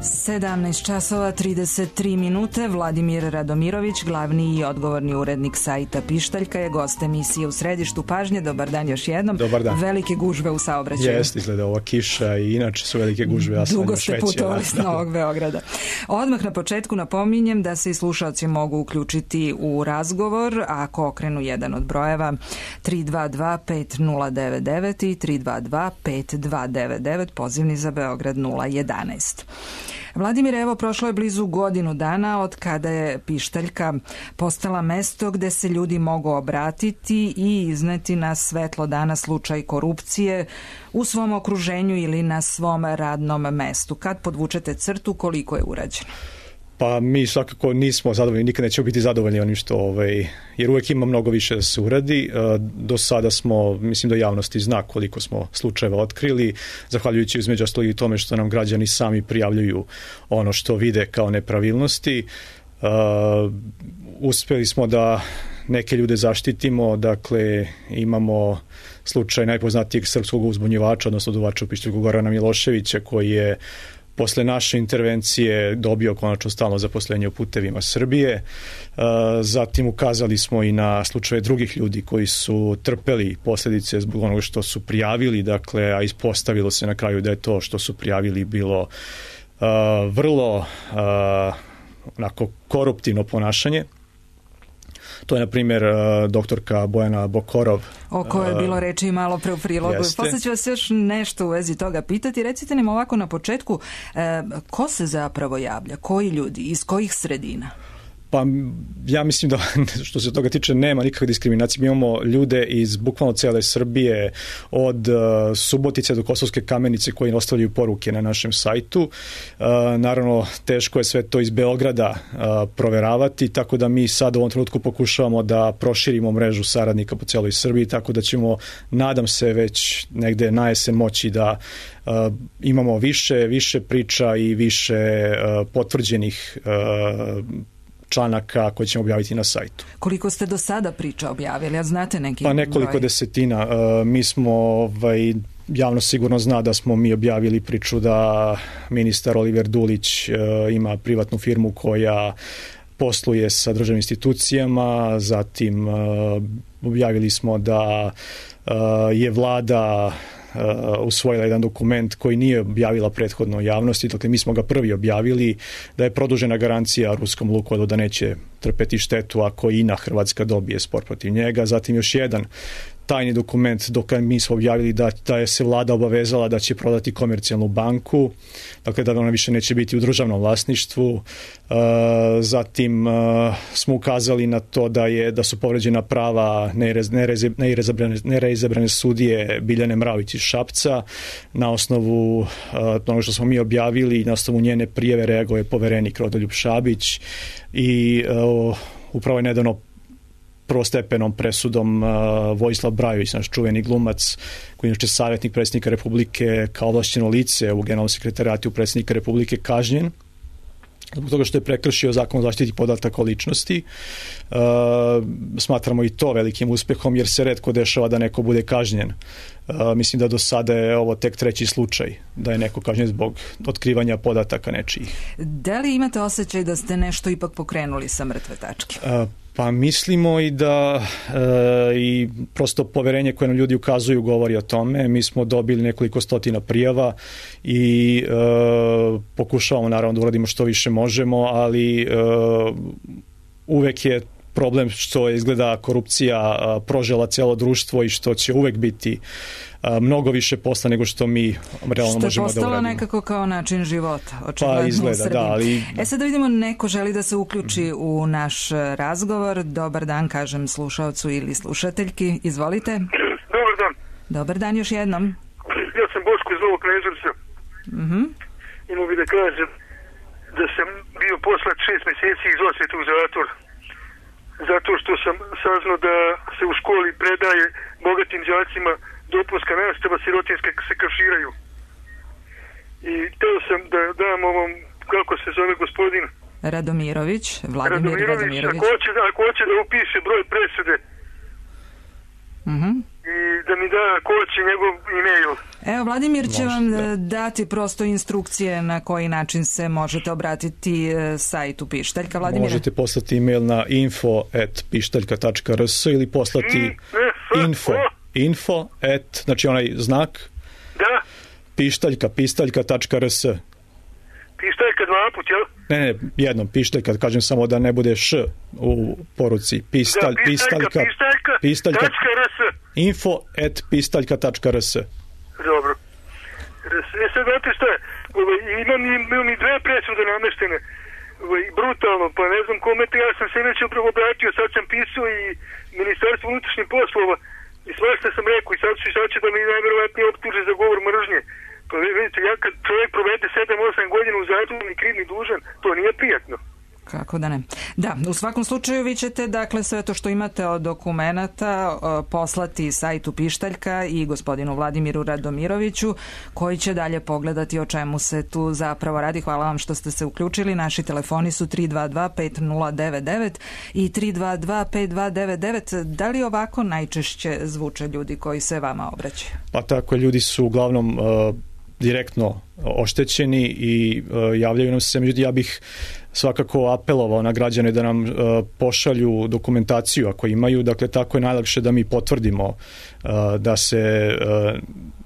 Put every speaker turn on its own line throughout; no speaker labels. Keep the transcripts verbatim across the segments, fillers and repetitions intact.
sedamnaest časova trideset tri minute. Vladimir Radomirović, glavni i odgovorni urednik sajta Pištaljka, je gost emisije U središtu pažnje. Dobar dan još jednom.
Dobar dan.
Velike gužve u saobraćaju.
Jeste, izgleda ova kiša i inače su velike gužve. Ja
Dugo ste putovali s Novog Beograda. Odmah na početku napominjem da se i slušalci mogu uključiti u razgovor ako okrenu jedan od brojeva tri dva dva pet nula devet devet i tri dva dva pet dva devet devet, pozivni za Beograd nula jedanaest. Vladimir, evo, prošlo je blizu godinu dana od kada je Pištaljka postala mesto gde se ljudi mogu obratiti i izneti na svetlo dana slučaj korupcije u svom okruženju ili na svom radnom mestu. Kad podvučete crtu, koliko je urađeno?
Pa mi svakako nismo zadovoljni, nikad nećemo biti zadovoljni onim što, ovaj, jer uvek ima mnogo više da se uradi. Do sada smo, mislim da javnosti zna koliko smo slučajeva otkrili, zahvaljujući između ostalog i tome što nam građani sami prijavljuju ono što vide kao nepravilnosti. Uh, uspeli smo da neke ljude zaštitimo, dakle imamo slučaj najpoznatijeg srpskog uzbunjivača, odnosno duvača u Pištaljku, Gorana Miloševića, koji je posle naše intervencije dobio konačno stalno zaposlenje u Putevima Srbije. Zatim ukazali smo i na slučaje drugih ljudi koji su trpeli posljedice zbog onoga što su prijavili, dakle, a ispostavilo se na kraju da je to što su prijavili bilo vrlo onako koruptivno ponašanje. To je, na primjer, doktorka Bojana Bokorov.
O kojoj je bilo reči malo pre u prilogu. Posle ću vas još nešto u vezi toga pitati. Recite nam ovako na početku, ko se zapravo javlja? Koji ljudi? Iz kojih sredina?
Pa ja mislim da što se toga tiče nema nikakve diskriminacije. Mi imamo ljude iz bukvalno cele Srbije, od uh, Subotice do Kosovske Kamenice, koji ostavljaju poruke na našem sajtu. Uh, naravno, teško je sve to iz Beograda uh, proveravati, tako da mi sad u ovom trenutku pokušavamo da proširimo mrežu saradnika po celoj Srbiji, tako da ćemo, nadam se, već negde na jesen moći da uh, imamo više, više priča i više uh, potvrđenih uh, članaka koje ćemo objaviti na sajtu.
Koliko ste do sada priča objavili? Ja znate neki
Pa nekoliko broj? desetina. Uh, mi smo, ovaj, javno sigurno zna da smo mi objavili priču da ministar Oliver Dulić uh, ima privatnu firmu koja posluje sa državnim institucijama, zatim uh, objavili smo da uh, je vlada Uh, usvojila jedan dokument koji nije objavila prethodno javnosti, dakle mi smo ga prvi objavili, da je produžena garancija ruskom Lukoilu da neće trpeti štetu ako I N A Hrvatska dobije spor protiv njega. Zatim još jedan tajni dokument dok mi smo objavili da, da je se vlada obavezala da će prodati Komercijalnu banku, dakle da ona više neće biti u državnom vlasništvu. Uh, zatim uh, smo ukazali na to da je da su povređena prava neizabrane, neizabrane sudije Biljane Mravić iz Šapca. Na osnovu uh, onoga što smo mi objavili, na osnovu njene prijave reagovao je poverenik Rodoljub Šabić i uh, upravo je nedavno prvostepenom presudom uh, Vojislav Brajović, naš čuveni glumac, koji je inače savjetnik predsjednika Republike, kao ovlašćeno lice u Generalnom sekretarijatu predsjednika Republike, kažnjen zbog toga što je prekršio Zakon o zaštiti podataka o ličnosti. Uh, smatramo i to velikim uspehom, jer se retko dešava da neko bude kažnjen. Uh, mislim da do sada je ovo tek treći slučaj da je neko kažnjen zbog otkrivanja podataka nečijih.
Da li imate osjećaj da ste nešto ipak pokrenuli sa mrtve tačke?
Uh, Pa mislimo i da e, i prosto poverenje koje nam ljudi ukazuju govori o tome. Mi smo dobili nekoliko stotina prijava i e, pokušavamo naravno da uradimo što više možemo, ali e, uvek je problem što je izgleda korupcija a, prožela celo društvo i što će uvek biti a, mnogo više posla nego što mi realno možemo da uradimo. Što je postalo
nekako kao način života, očigledno
pa izgleda,
u Srbiji.
Da, ali...
E sad da vidimo, neko želi da se uključi u naš razgovor. Dobar dan, kažem slušaocu ili slušateljki. Izvolite.
Dobar dan.
Dobar dan još jednom.
Ja sam Boško iz Novog Kneževca.
Mhm.
Imao bi da kažem da sam bio poslat šest meseci iz osvete u zatvor. Zato što sam saznao da se u školi predaje bogatim đacima dopunska nastava, sirotinske se kaširaju. I teo sam da dam ovom, kako se zove gospodin?
Radomirović, Vladimir Radomirović. Radomirović.
Ako hoće, da, ako hoće da upiše broj presude
uh-huh.
i da da mi da koči njegov e-mail.
Evo, Vladimir će
Može,
vam
da.
dati prosto instrukcije na koji način se možete obratiti sajtu Pištaljka. Vladimir?
Možete poslati e-mail na info at pištaljka tačka r s ili poslati info, info at, znači onaj znak,
da,
pištaljka, pistaljka tačka r s.
Pištaljka dva put, jel?
Ne, ne, jednom, pištaljka, kažem samo da ne bude š u poruci. Pistalj,
da, pištaljka,
pistaljka,
pištaljka,
pistaljka,
tačka rs.
info at pistaljka tačka r s.
Dobro. E sad, znate šta je, imam, imam i dve presude nameštene, brutalno, pa ne znam kome te, ja sam se već upravo obratio, sad sam pisao i Ministarstvo unutrašnjih poslova i svašta sam rekao i sad, sad će da mi najverovatnije optuže za govor mržnje. Pa vidite, ja kad čovjek provede sedam osam godina u zatvoru ni kriv ni dužan, to nije prijatno.
Kako da ne. Da, u svakom slučaju vi ćete, dakle, sve to što imate od dokumenata poslati sajtu Pištaljka i gospodinu Vladimiru Radomiroviću, koji će dalje pogledati o čemu se tu zapravo radi. Hvala vam što ste se uključili. Naši telefoni su tri dva dva pet nula devet devet i tri dva dva pet dva devet devet. Da li ovako najčešće zvuče ljudi koji se vama obraćaju?
Pa tako, ljudi su uglavnom uh, direktno oštećeni i uh, javljaju nam se. Međutim, ja bih svakako apelovao na građane da nam uh, pošalju dokumentaciju ako imaju, dakle tako je najlakše da mi potvrdimo uh, da se uh,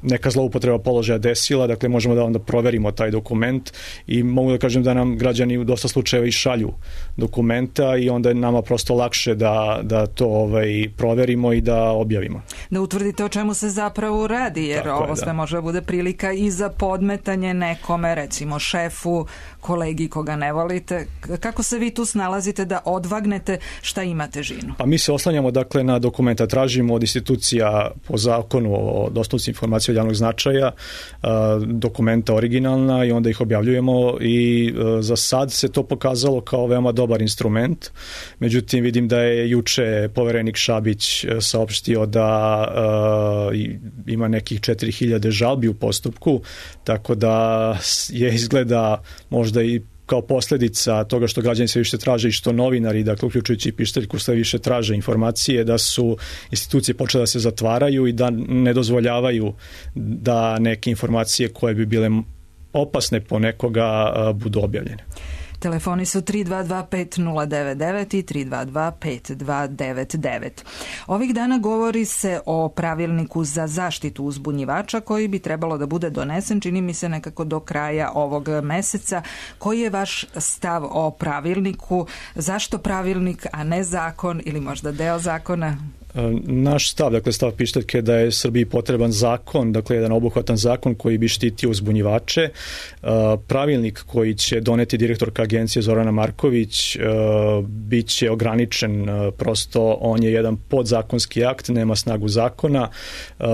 neka zloupotreba položaja desila, dakle možemo da onda proverimo taj dokument i mogu da kažem da nam građani u dosta slučajeva i šalju dokumenta i onda je nama prosto lakše da, da to ovaj, proverimo i da objavimo.
Da utvrdite o čemu se zapravo radi, jer
tako
ovo
je,
sve
da.
može da bude prilika i za podmetanje nekome, recimo šefu, kolegi koga ne volite. Kako se vi tu snalazite da odvagnete šta ima težinu?
Pa mi se oslanjamo dakle na dokumenta, tražimo od institucija po zakonu o dostupnosti informacija od javnog značaja dokumenta originalna i onda ih objavljujemo i za sad se to pokazalo kao veoma dobar instrument. Međutim, vidim da je juče poverenik Šabić saopštio da ima nekih četiri hiljade žalbi u postupku, tako da je izgleda možda i kao posljedica toga što građani sve više traže i što novinari, dakle uključujući i Pištaljku, sve više traže informacije, da su institucije počele da se zatvaraju i da ne dozvoljavaju da neke informacije koje bi bile opasne po nekoga budu objavljene.
Telefoni su tri dva dva pet nula devet devet i tri dva dva pet dva devet devet. Ovih dana govori se o pravilniku za zaštitu uzbunjivača koji bi trebalo da bude donesen, čini mi se nekako do kraja ovog meseca. Koji je vaš stav o pravilniku? Zašto pravilnik, a ne zakon ili možda deo zakona?
Naš stav, dakle stav Pištaljke, da je Srbiji potreban zakon, dakle jedan obuhvatan zakon koji bi štitio uzbunjivače. Pravilnik koji će doneti direktorka agencije Zorana Marković bit će ograničen, prosto on je jedan podzakonski akt, nema snagu zakona,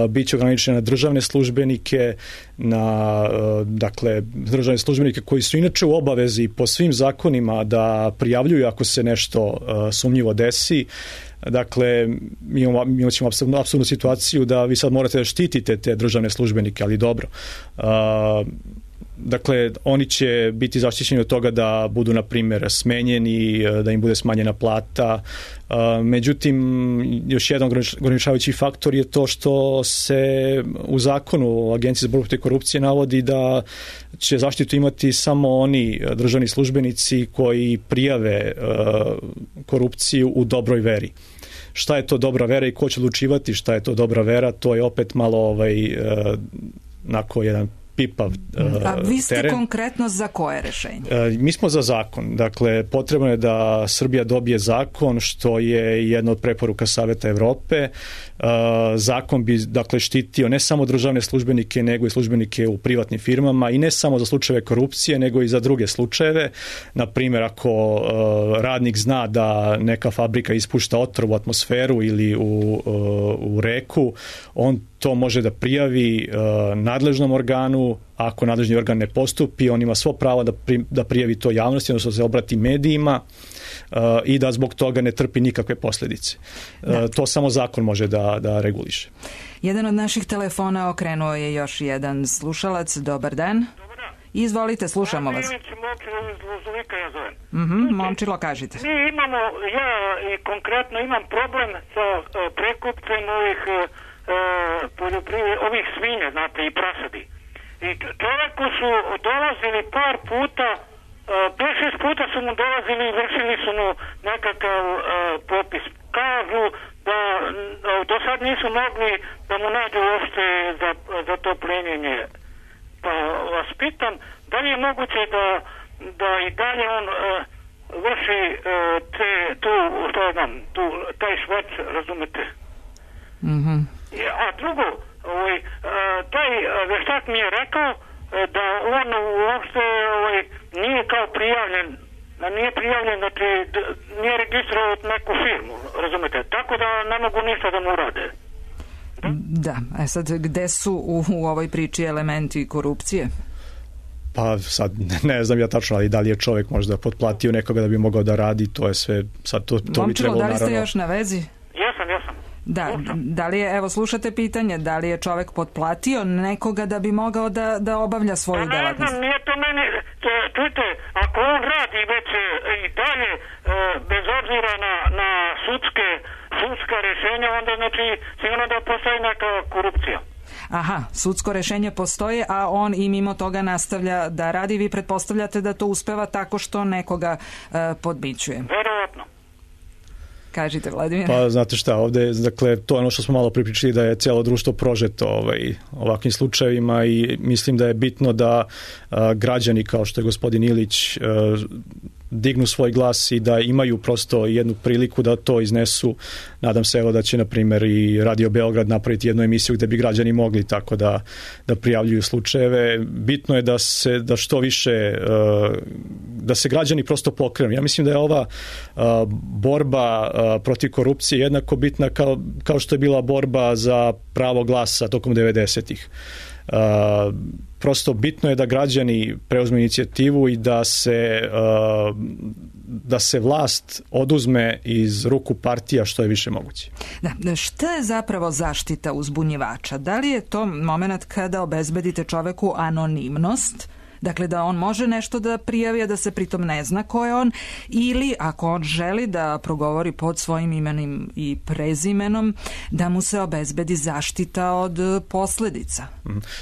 bit će ograničen na državne službenike, na dakle državne službenike koji su inače u obavezi po svim zakonima da prijavljuju ako se nešto sumnjivo desi. Dakle, mi imamo, mi ćemo apsolutnu situaciju da vi sad morate da štitite te državne službenike, ali dobro. Uh, dakle, oni će biti zaštićeni od toga da budu, na primjer, smenjeni, da im bude smanjena plata. Uh, međutim, još jedan ograničavajući faktor je to što se u zakonu Agencije za borbu protiv korupcije navodi da će zaštitu imati samo oni državni službenici koji prijave uh, korupciju u dobroj veri. Šta je to dobra vera i ko će odlučivati šta je to dobra vera, to je opet malo ovaj, uh, nako jedan pipav uh,
A vi ste
teren.
Konkretno za koje rešenje?
Uh, mi smo za zakon. Dakle, potrebno je da Srbija dobije zakon, što je jedna od preporuka Saveta Evrope. Uh, zakon bi, dakle, štitio ne samo državne službenike, nego i službenike u privatnim firmama i ne samo za slučajeve korupcije, nego i za druge slučajeve. Na primjer, ako uh, radnik zna da neka fabrika ispušta otrov u atmosferu ili u, uh, u reku, on to može da prijavi uh, nadležnom organu. Ako nadležni organ ne postupi, on ima svo pravo da, pri, da prijavi to javnosti, odnosno da se obrati medijima uh, i da zbog toga ne trpi nikakve posljedice. Uh, to samo zakon može da, da reguliše.
Jedan od naših telefona okrenuo je još jedan slušalac. Dobar dan.
Dobar dan.
Izvolite, slušamo vas.
Momčilo iz Lozovika, ja zovem.
Mhm, Momčilo, kažite.
Mi imamo, ja i konkretno imam problem sa uh, prekupcem ovih uh,
poljoprivrede, ovih svinja, znate, i prasadi. I čovjeku su dolazili par puta, pet šest puta su mu dolazili i vršili su mu nekakav uh, popis. Kažu da uh, do sad nisu mogli da mu nađu uopšte za, za to plenjenje. Pa vas pitam, da li je moguće da, da i dalje on uh, vrši uh, te, tu, što znam, tu, taj švac, razumete?
Mhm.
A drugo, ovaj, taj veštak mi je rekao da on uopšte ovaj, nije kao prijavljen, nije prijavljen, znači nije registrovao neku firmu, razumete, tako da ne mogu ništa da mu urade.
Da, da. E sad, gde su u, u ovoj priči elementi korupcije?
Pa sad ne znam ja tačno, ali da li je čovjek možda potplatio nekoga da bi mogao da radi, to je sve, sad to, to bi trebalo naravno...
da li ste još na vezi?
Jesam, jesam.
Da, da li je, evo slušate pitanje, da li je čovjek potplatio nekoga da bi mogao da, da obavlja svoju
pa,
delatnost?
Ne znam, nije to meni, čujte, ako on radi već i dalje, bez obzira na, na sudske, sudska rješenja, onda znači sigurno da postoji neka korupcija.
Aha, sudsko rešenje postoji, a on i mimo toga nastavlja da radi. Vi pretpostavljate da to uspeva tako što nekoga uh, podmićuje?
Verovatno.
Kažite, Vladimir.
Pa znate šta, ovde, dakle, to je ono što smo malo pripričali, da je cijelo društvo prožeto ovaj, ovakvim slučajevima i mislim da je bitno da a, građani, kao što je gospodin Ilić, a, dignu svoj glas i da imaju prosto jednu priliku da to iznesu. Nadam se evo da će, na primjer, i Radio Beograd napraviti jednu emisiju gde bi građani mogli tako da, da prijavljuju slučajeve. Bitno je da se da što više da se građani prosto pokrenu. Ja mislim da je ova borba protiv korupcije jednako bitna kao, kao što je bila borba za pravo glasa tokom devedesetih. Uh, prosto bitno je da građani preuzmu inicijativu i da se uh, da se vlast oduzme iz ruku partija što je više moguće.
Da, šta je zapravo zaštita uzbunjivača? Da li je to moment kada obezbedite čoveku anonimnost? Dakle, da on može nešto da prijavi, a da se pritom ne zna ko je on, ili ako on želi da progovori pod svojim imenom i prezimenom, da mu se obezbedi zaštita od posledica.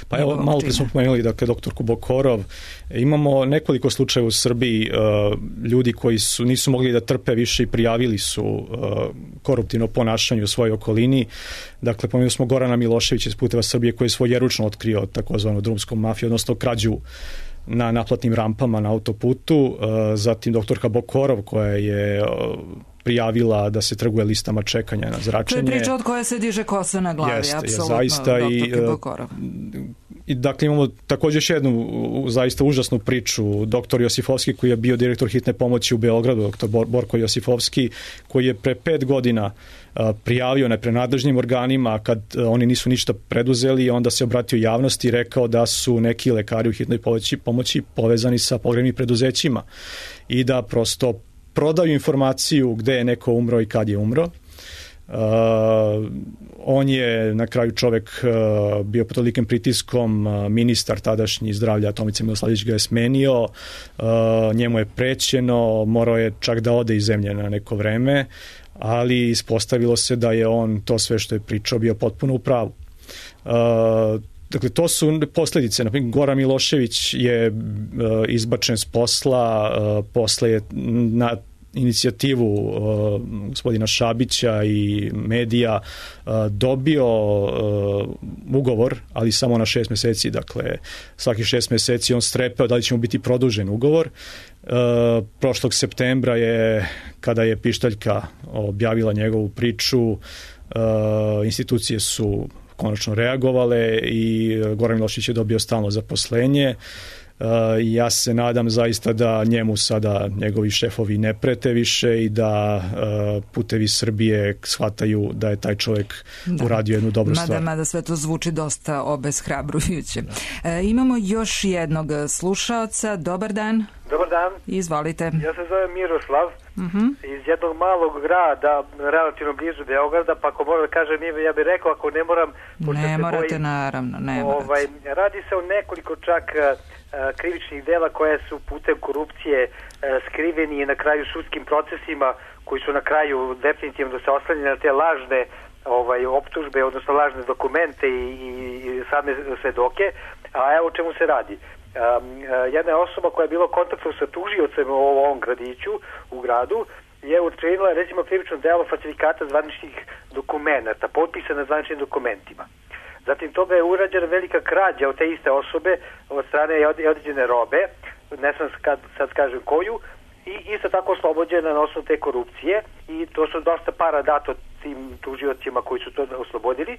Pa evo, malo pre smo pomenuli, dakle, doktorku Bokorov, imamo nekoliko slučajeva u Srbiji, uh, ljudi koji su nisu mogli da trpe više i prijavili su uh, koruptivno ponašanje u svojoj okolini. Dakle, pomenuli smo Gorana Miloševića iz Puteva Srbije, koji je svojeručno otkrio takozvanu drumsku mafiju, odnosno krađu na naplatnim rampama na autoputu, zatim doktorka Bokorov koja je prijavila da se trguje listama čekanja na zračenje.
To je priča od koje se diže kosa na glavi,
Jeste,
apsolutno,
zaista,
doktorke Bokorov.
I dakle imamo također još jednu zaista užasnu priču, doktor Josifovski koji je bio direktor hitne pomoći u Beogradu, doktor Borko Josifovski, koji je pre pet godina prijavio neprenadležnim organima kad oni nisu ništa preduzeli, onda se obratio javnosti i rekao da su neki lekari u hitnoj pomoći, pomoći povezani sa pogrebnim preduzećima i da prosto prodaju informaciju gde je neko umro i kad je umro. Uh, on je na kraju čovek uh, bio pod tolikim pritiskom, uh, ministar tadašnji zdravlja Tomica Miloslavljević ga je smenio, uh, njemu je prećeno, morao je čak da ode iz zemlje na neko vreme, ali ispostavilo se da je on to sve što je pričao bio potpuno u pravu. Uh, Dakle, to su posljedice. Naprimjer, Goran Milošević je uh, izbačen s posla, uh, posle je na inicijativu uh, gospodina Šabića i medija uh, dobio uh, ugovor, ali samo na šest meseci. Dakle, svaki šest meseci on strepeo da li će mu biti produžen ugovor. Uh, prošlog septembra je, kada je Pištaljka objavila njegovu priču, uh, institucije su konačno reagovale i Goran Milošević je dobio stalno zaposlenje. Uh, ja se nadam zaista da njemu sada njegovi šefovi ne prete više i da uh, Putevi Srbije shvataju da je taj čovjek da. uradio jednu dobru
mada,
stvar.
Mada sve to zvuči dosta obeshrabrujuće. E, imamo još jednog slušaoca. Dobar dan.
Dobar dan.
Izvolite.
Ja se zovem Miroslav
uh-huh.
iz jednog malog grada, relativno blizu Beograda, pa ako moram da kažem ime, ja bih rekao, ako ne moram...
Ne morate, bojim, naravno, ne morate.
Ovaj, radi se o nekoliko čak uh, krivičnih dela koje su putem korupcije uh, skriveni i na kraju sudskim procesima koji su na kraju definitivno se oslanjeni na te lažne ovaj, optužbe, odnosno lažne dokumente i, i, i same svedoke, a evo o čemu se radi. Um, jedna osoba koja je bila u kontaktu sa tužiocem u ovom gradiću, u gradu, je učinila recimo krivično delo falsifikata zvaničnih dokumenta, potpisa na zvaničnim dokumentima. Zatim toga je urađena velika krađa od te iste osobe od strane određene robe, ne znam kad, sad kažem koju, i isto tako oslobođena na osnovu te korupcije i to su dosta para dato tim tužiocima koji su to oslobodili.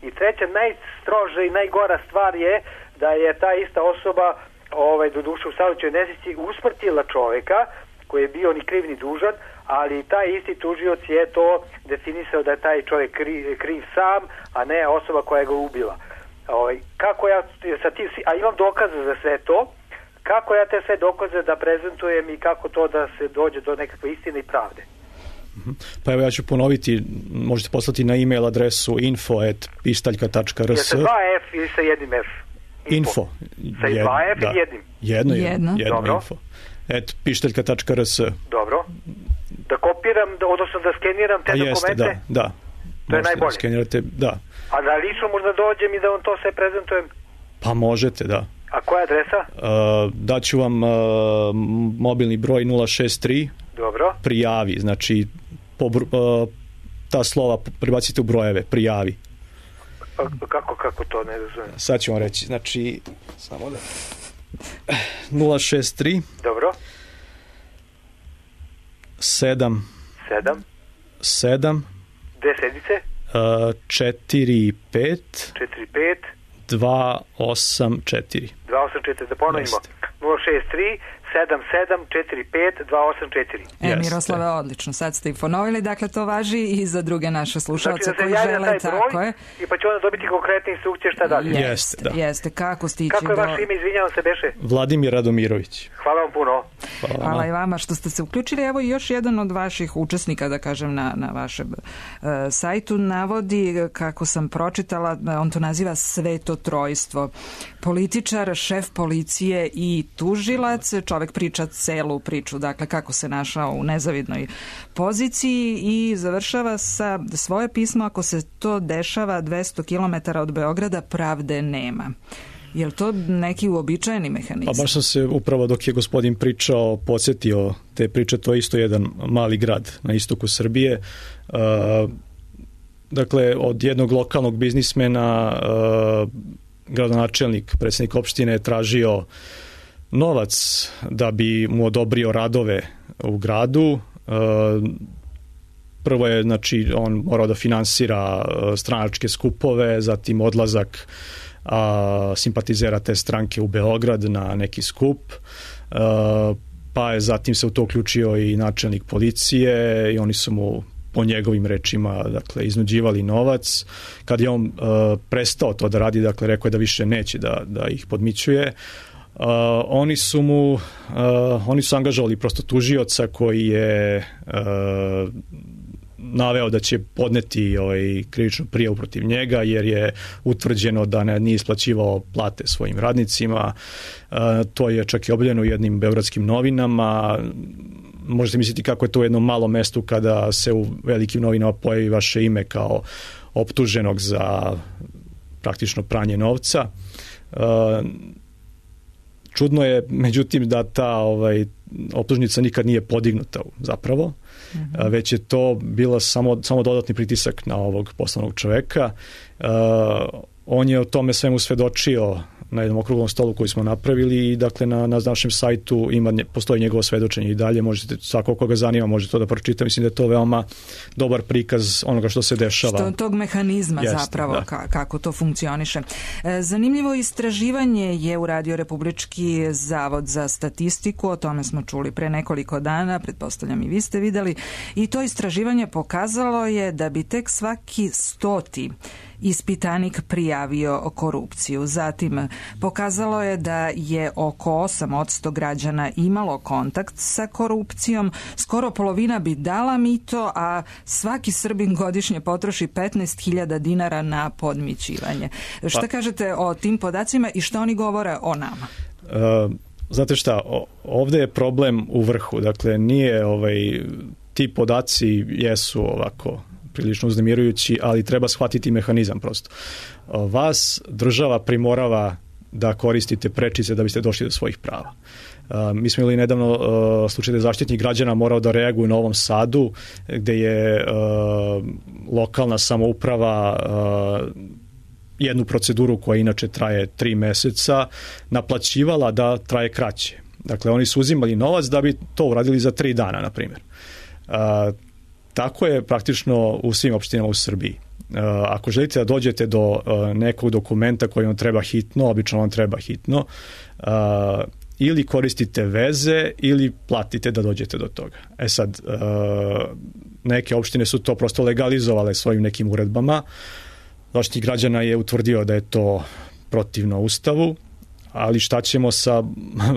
I treća, najstroža i najgora stvar je da je ta ista osoba, ovaj, do duše u saobraćajnoj nesreći, usmrtila čoveka koji je bio ni kriv ni dužan, ali taj isti tužioc je to definisao da je taj čovjek kriv, kriv sam, a ne osoba koja ga ubila. Ovaj, kako ja sa tim, a imam dokaze za sve to, kako ja te sve dokaze da prezentujem i kako to da se dođe do nekakve istine i pravde.
Pa evo ja ću ponoviti, možete poslati na e-mail adresu info at pištaljka tačka r s.
Sa dva F ili sa jednim F?
Info.
Sa
Jed,
dva F
da.
i jednim?
Jedno,
jedno.
jedno
Dobro.
info. Et pištaljka tačka r s.
Dobro. Da kopiram, odnosno da skeniram te
A
dokumente?
jeste, da, da.
To je najbolje.
Da skenirate, da.
A da lično možda dođem i da vam to sve prezentujem?
Pa možete, da.
A koja je adresa?
Uh, daću vam uh, mobilni broj nula šest tri.
Dobro.
Prijavi, znači po, uh, ta slova prebacite u brojeve, prijavi.
Pa, kako, kako to, ne razumijem?
Sad ću vam reći, znači samo da nula šest tri.
Dobro.
sedam
sedam.
sedam
Desedice.
uh, četiri pet
četiri pet.
dva osam četiri.
dva osam četiri, da ponovimo.
Jeste.
nula šest tri sedam sedam četiri pet dva osam četiri.
E,
Jeste.
Miroslave, odlično. Sad ste i ponovili, dakle to važi i za druge naše slušalce
Znači da
koji
se javlja
žele,
taj
tako
broj
je.
i pa će onda dobiti konkretne instrukcije šta dalje.
Je.
Jeste,
Jeste, da.
jeste. Kako stići
Kako je
do...
vaše ime, izvinjavam se, beše?
Vladimir Radomirović.
Hvala vam puno.
Hvala,
Hvala i vama što ste se uključili. Evo i još jedan od vaših učesnika, da kažem, na, na vašem uh, sajtu navodi, kako sam pročitala, on to naziva svetotrojstvo. Političar, šef policije i tužilac. Čovek priča celu priču, dakle kako se našao u nezavidnoj poziciji i završava sa svoje pismo: ako se to dešava dvesta kilometara od Beograda, pravde nema. Je li to neki uobičajeni mehanizam?
Pa baš sam se upravo dok je gospodin pričao podsjetio te priče, to je isto jedan mali grad na istoku Srbije. Uh, dakle, od jednog lokalnog biznismena uh, gradonačelnik, predsjednik opštine je tražio novac da bi mu odobrio radove u gradu. Uh, prvo je, znači, on morao da finansira stranačke skupove, zatim odlazak a, simpatizera te stranke u Beograd na neki skup, a, pa je zatim se u to uključio i načelnik policije i oni su mu po njegovim rečima, dakle, iznuđivali novac. Kad je on a, prestao to da radi, dakle, rekao je da više neće da, da ih podmićuje, Uh, oni su mu uh, oni su angažovali prosto tužioca koji je uh, naveo da će podneti ovaj krivičnu prijavu protiv njega jer je utvrđeno da ne, nije isplaćivao plate svojim radnicima. Uh, to je čak i objavljeno u jednim beogradskim novinama. Možete misliti kako je to u jednom malom mestu kada se u velikim novinama pojavi vaše ime kao optuženog za praktično pranje novca. Uh, Čudno je, međutim, da ta ovaj, optužnica nikad nije podignuta zapravo, mm-hmm. već je to bila samo, samo dodatni pritisak na ovog poslovnog čoveka. Uh, on je o tome svemu svedočio na jednom okruglom stolu koji smo napravili i dakle na, na našem sajtu ima, postoji njegovo svedočenje i dalje, možete, svako koga zanima može to da pročita, mislim da je to veoma dobar prikaz onoga što se dešava.
Što tog mehanizma Jeste, zapravo, ka, kako to funkcioniše. Zanimljivo istraživanje je uradio Republički zavod za statistiku, o tome smo čuli pre nekoliko dana, pretpostavljam i vi ste videli, i to istraživanje pokazalo je da bi tek svaki stoti ispitanik prijavio korupciju. Zatim pokazalo je da je oko osam posto građana imalo kontakt sa korupcijom, skoro polovina bi dala mito, a svaki Srbin godišnje potroši petnaest hiljada dinara na podmićivanje. Šta pa, kažete o tim podacima i šta oni govore o nama?
Uh, znate šta, ovde je problem u vrhu, dakle nije ovaj, ti podaci jesu ovako prilično uznemirujući, ali treba shvatiti mehanizam prosto. Vas država primorava da koristite prečice da biste došli do svojih prava. Mi smo imali nedavno slučaj da je Zaštitnik građana morao da reaguje u Novom Sadu, gde je lokalna samouprava jednu proceduru koja inače traje tri meseca naplaćivala da traje kraće. Dakle, oni su uzimali novac da bi to uradili za tri dana, na primjer. Tako je praktično u svim opštinama u Srbiji. Ako želite da dođete do nekog dokumenta koji vam treba hitno, obično vam treba hitno, ili koristite veze ili platite da dođete do toga. E sad, neke opštine su to prosto legalizovale svojim nekim uredbama. Zaštitnik građana je utvrdio da je to protivno Ustavu, ali šta ćemo sa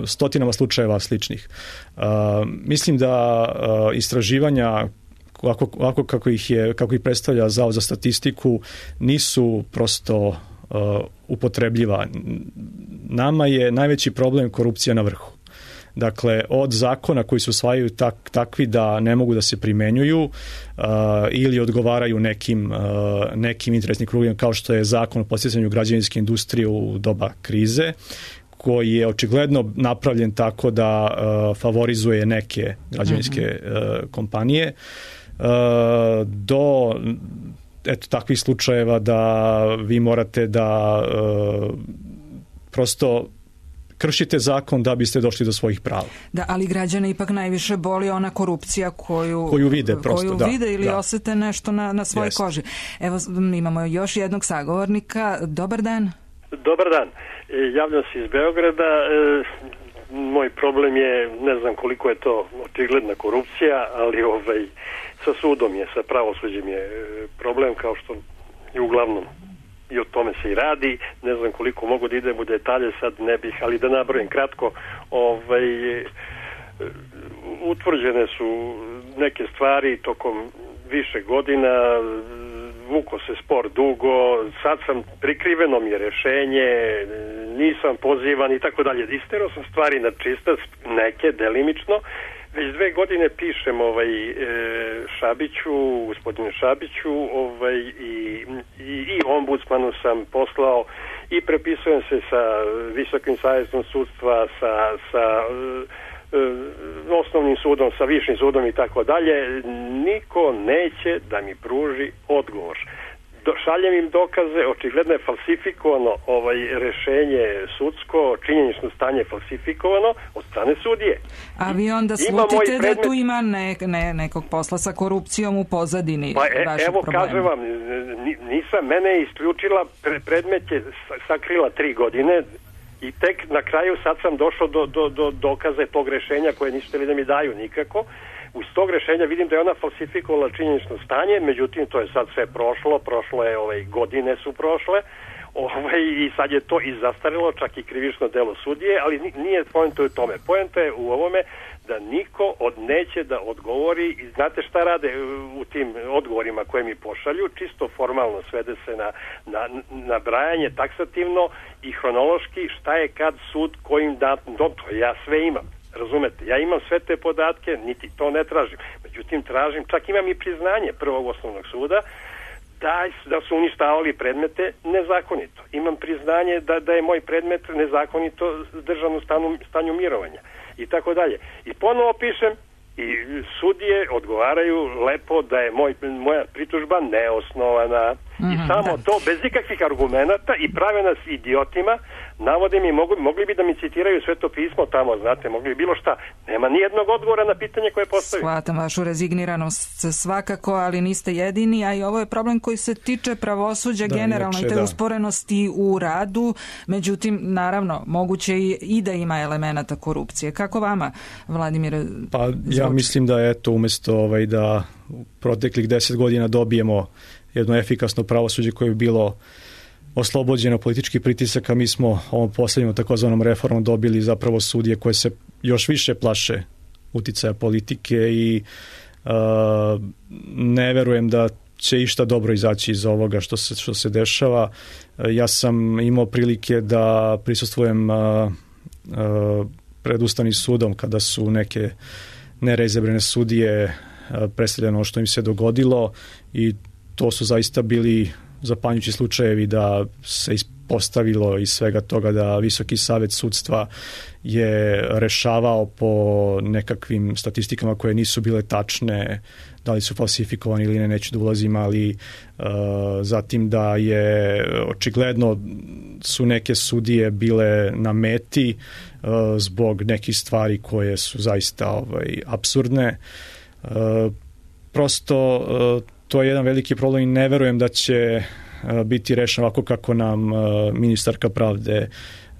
stotinama slučajeva sličnih. Mislim da istraživanja Ovako, ovako kako ih je, kako ih predstavlja Zavod za statistiku, nisu prosto uh, upotrebljiva. Nama je najveći problem korupcija na vrhu. Dakle, od zakona koji se usvajaju tak, takvi da ne mogu da se primenjuju uh, ili odgovaraju nekim, uh, nekim interesnim krugovima, kao što je zakon o podsticanju građevinske industrije u doba krize, koji je očigledno napravljen tako da uh, favorizuje neke građevinske uh, kompanije, do eto takvih slučajeva da vi morate da uh, prosto kršite zakon da biste došli do svojih prava.
Da, ali građane ipak najviše boli ona korupcija koju,
koju vide, prosto,
koju
da,
vide ili
da.
osete nešto na, na svojoj yes. koži. Evo, imamo još jednog sagovornika. Dobar dan.
Dobar dan. Javljam se iz Beograda. Moj problem je, ne znam koliko je to očigledna korupcija, ali ovaj, sa sudom je, sa pravosuđem je problem, kao što je uglavnom i o tome se i radi. Ne znam koliko mogu da idem u detalje, sad ne bih, ali da nabrojim kratko. Ovaj, utvrđene su neke stvari tokom više godina, vuko se spor dugo, sad sam, prikriveno mi je rešenje, nisam pozivan i tako dalje. Isterao sam stvari na čistac, neke delimično. Već dve godine pišem ovaj, e, Šabiću, gospodinu Šabiću, ovaj, i, i, i ombudsmanu sam poslao i prepisujem se sa Visokim savjetom sudstva, sa, sa e, osnovnim sudom, sa višim sudom i tako dalje. Niko neće da mi pruži odgovor. Šaljem im dokaze, očigledno je falsifikovano ovaj rešenje sudsko, činjenično stanje falsifikovano od strane sudije.
A vi onda slutite da predmet... tu ima ne, ne, nekog posla sa korupcijom u pozadini
pa, e,
vašeg
evo,
problema?
kažem vam, nisam, mene je isključila, predmet je sakrila tri godine i tek na kraju sad sam došao do, do, do dokaze tog rešenja koje nisu htjeli da mi daju nikako. Uz tog rešenja vidim da je ona falsifikovala činjenično stanje, međutim to je sad sve prošlo, prošlo je, ovaj, godine su prošle, ovaj, i sad je to i zastarilo, čak i krivično delo sudije, ali nije poenta u tome. Poenta je u ovome da niko od neće da odgovori i znate šta rade u tim odgovorima koje mi pošalju, čisto formalno svede se na, na, na brajanje taksativno i hronološki šta je kad sud kojim datum, to ja sve imam. Razumete, ja imam sve te podatke, niti to ne tražim. Međutim, tražim, čak imam i priznanje prvog osnovnog suda da, da su uništavali predmete nezakonito. Imam priznanje da, da je moj predmet nezakonito držan u stanu, stanju mirovanja i tako dalje. I ponovo pišem i sudije odgovaraju lepo da je moj, moja pritužba neosnovana. Mm-hmm, i samo da. To bez ikakvih argumenata i prave nas idiotima. Navode mi, mogu, mogli bi da mi citiraju Sveto pismo tamo, znate, mogli bi bilo šta. Nema ni jednog odgovora na pitanje koje postavim.
Shvatam vašu rezigniranost svakako, ali niste jedini, a i ovo je problem koji se tiče pravosuđa da, generalno i te da. usporenosti u radu. Međutim, naravno, moguće i, i da ima elemenata korupcije. Kako vama, Vladimir?
Pa zvuči? Ja mislim da eto, umjesto ovaj, da u proteklih deset godina dobijemo jedno efikasno pravosuđe koje bi bilo oslobođeno političkih pritisaka, mi smo ovom posljednjom takozvanom reformom dobili zapravo sudije koje se još više plaše uticaja politike i uh, ne verujem da će išta dobro izaći iz ovoga što se, što se dešava. Uh, ja sam imao prilike da prisustvujem uh, uh, pred Ustavnim sudom kada su neke nereizabrane sudije predstavljeno što im se dogodilo i to su zaista bili zapanjujući slučajevi da se ispostavilo iz svega toga da Visoki savet sudstva je rešavao po nekakvim statistikama koje nisu bile tačne, da li su falsifikovani ili ne, neću da ulazim, ali uh, zatim da je očigledno su neke sudije bile na meti uh, zbog nekih stvari koje su zaista ovaj, apsurdne. Uh, prosto uh, to je jedan veliki problem i ne verujem da će uh, biti rešen ovako kako nam uh, ministarka pravde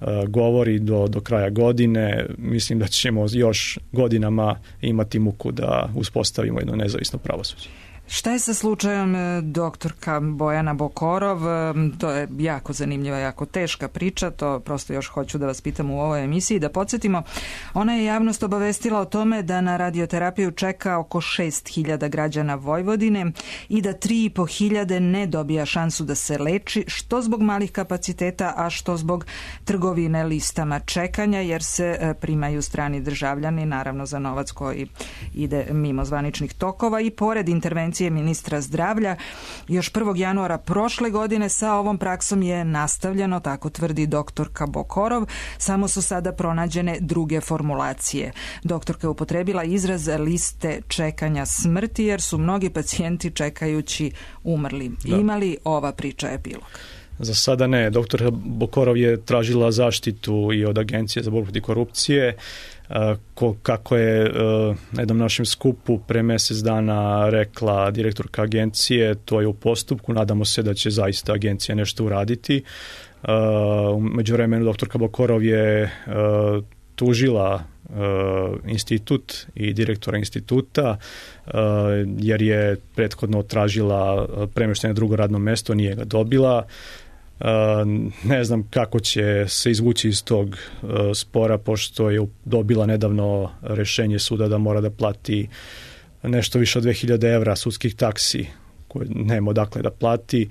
uh, govori do, do kraja godine. Mislim da ćemo još godinama imati muku da uspostavimo jedno nezavisno pravosuđe.
Šta je sa slučajem doktorka Bojana Bokorov? To je jako zanimljiva, jako teška priča, to prosto još hoću da vas pitam u ovoj emisiji. Da podsjetimo, ona je javnost obavestila o tome da na radioterapiju čeka oko šest hiljada građana Vojvodine i da tri i po hiljade ne dobija šansu da se leči, što zbog malih kapaciteta, a što zbog trgovine listama čekanja, jer se primaju strani državljani, naravno za novac koji ide mimo zvaničnih tokova. I pored intervencije ministra zdravlja, još prvog januara prošle godine sa ovom praksom je nastavljeno, tako tvrdi doktorka Bokorov, samo su sada pronađene druge formulacije. Doktorka je upotrebila izraz liste čekanja smrti, jer su mnogi pacijenti čekajući umrli. Da. Ima li ova priča epilog?
Za sada ne. Doktor Bokorov je tražila zaštitu i od Agencije za borbu protiv korupcije, kako je na jednom našem skupu pre mesec dana rekla direktorka agencije, to je u postupku, nadamo se da će zaista agencija nešto uraditi. U međuvremenu doktorka Bokorov je tužila institut i direktora instituta jer je prethodno tražila premeštaj na drugo radno mesto, nije ga dobila. Uh, ne znam kako će se izvući iz tog uh, spora, pošto je dobila nedavno rešenje suda da mora da plati nešto više od dve hiljade evra sudskih taksi koje nema odakle da plati,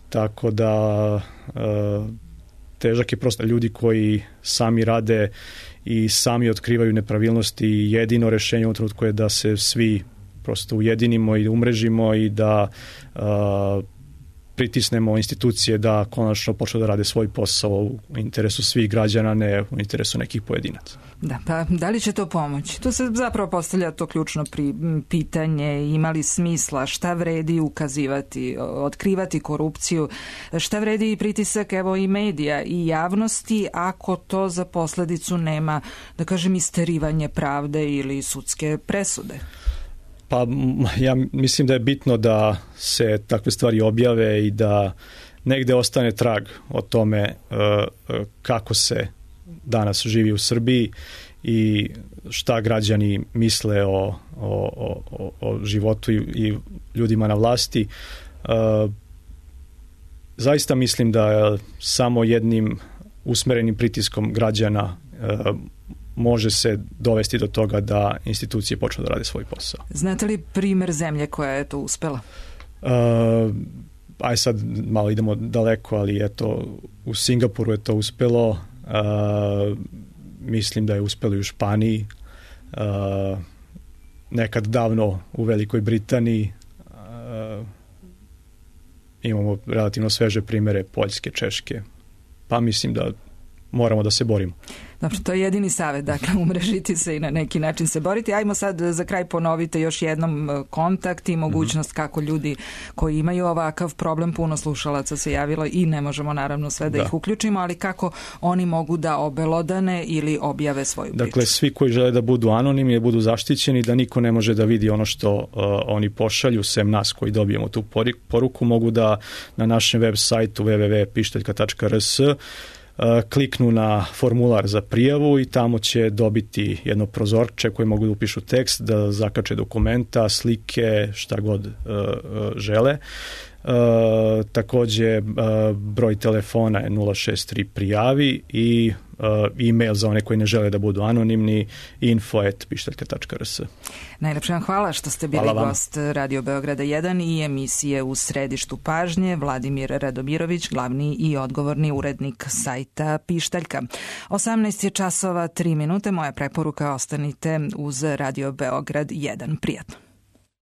tako da uh, težak je prosto. Ljudi koji sami rade i sami otkrivaju nepravilnosti i jedino rešenje u trenutku je da se svi prosto ujedinimo i umrežimo i da uh, pritisnemo institucije da konačno počnu da rade svoj posao u interesu svih građana, ne u interesu nekih pojedinaca.
Da, pa da li će to pomoći? To se zapravo postavlja to ključno pri, pitanje, ima li smisla, šta vredi ukazivati, otkrivati korupciju, šta vredi i pritisak evo i medija i javnosti ako to za posledicu nema, da kažem, isterivanje pravde ili sudske presude?
Pa ja mislim da je bitno da se takve stvari objave i da negde ostane trag o tome kako se danas živi u Srbiji i šta građani misle o, o, o, o životu i ljudima na vlasti. Zaista mislim da samo jednim usmerenim pritiskom građana može se dovesti do toga da institucije počnu da rade svoj posao.
Znate li primer zemlje koja je to uspela?
Uh, aj sad malo idemo daleko, ali eto, u Singapuru je to uspelo. Uh, mislim da je uspelo i u Španiji. Uh, nekad davno u Velikoj Britaniji. Uh, imamo relativno sveže primere Poljske, Češke. Pa mislim da moramo da se borimo.
Dobro, to je jedini savjet, dakle, umrežiti se i na neki način se boriti. Ajmo sad za kraj ponovite još jednom kontakt i mogućnost kako ljudi koji imaju ovakav problem, puno slušalaca se javilo i ne možemo naravno sve da, da ih uključimo, ali kako oni mogu da obelodane ili objave svoju priču.
Dakle, svi koji žele da budu anonimni, da budu zaštićeni, da niko ne može da vidi ono što uh, oni pošalju, sem nas koji dobijemo tu poruku, mogu da na našem web sajtu w w w tačka pištaljka tačka r s kliknu na formular za prijavu i tamo će dobiti jedno prozorče koje mogu da upišu tekst, da zakače dokumenta, slike, šta god uh, žele. Uh, takođe uh, broj telefona je nula šest tri prijavi i uh, e-mail za one koji ne žele da budu anonimni info at pištaljka tačka r s.
Najlepše vam hvala što ste bili gost Radio Beograda jedan i emisije U središtu pažnje. Vladimir Radomirović, glavni i odgovorni urednik sajta Pištaljka. osamnaest je časova tri minute. Moja preporuka, ostanite uz Radio Beograd jedan. Prijatno.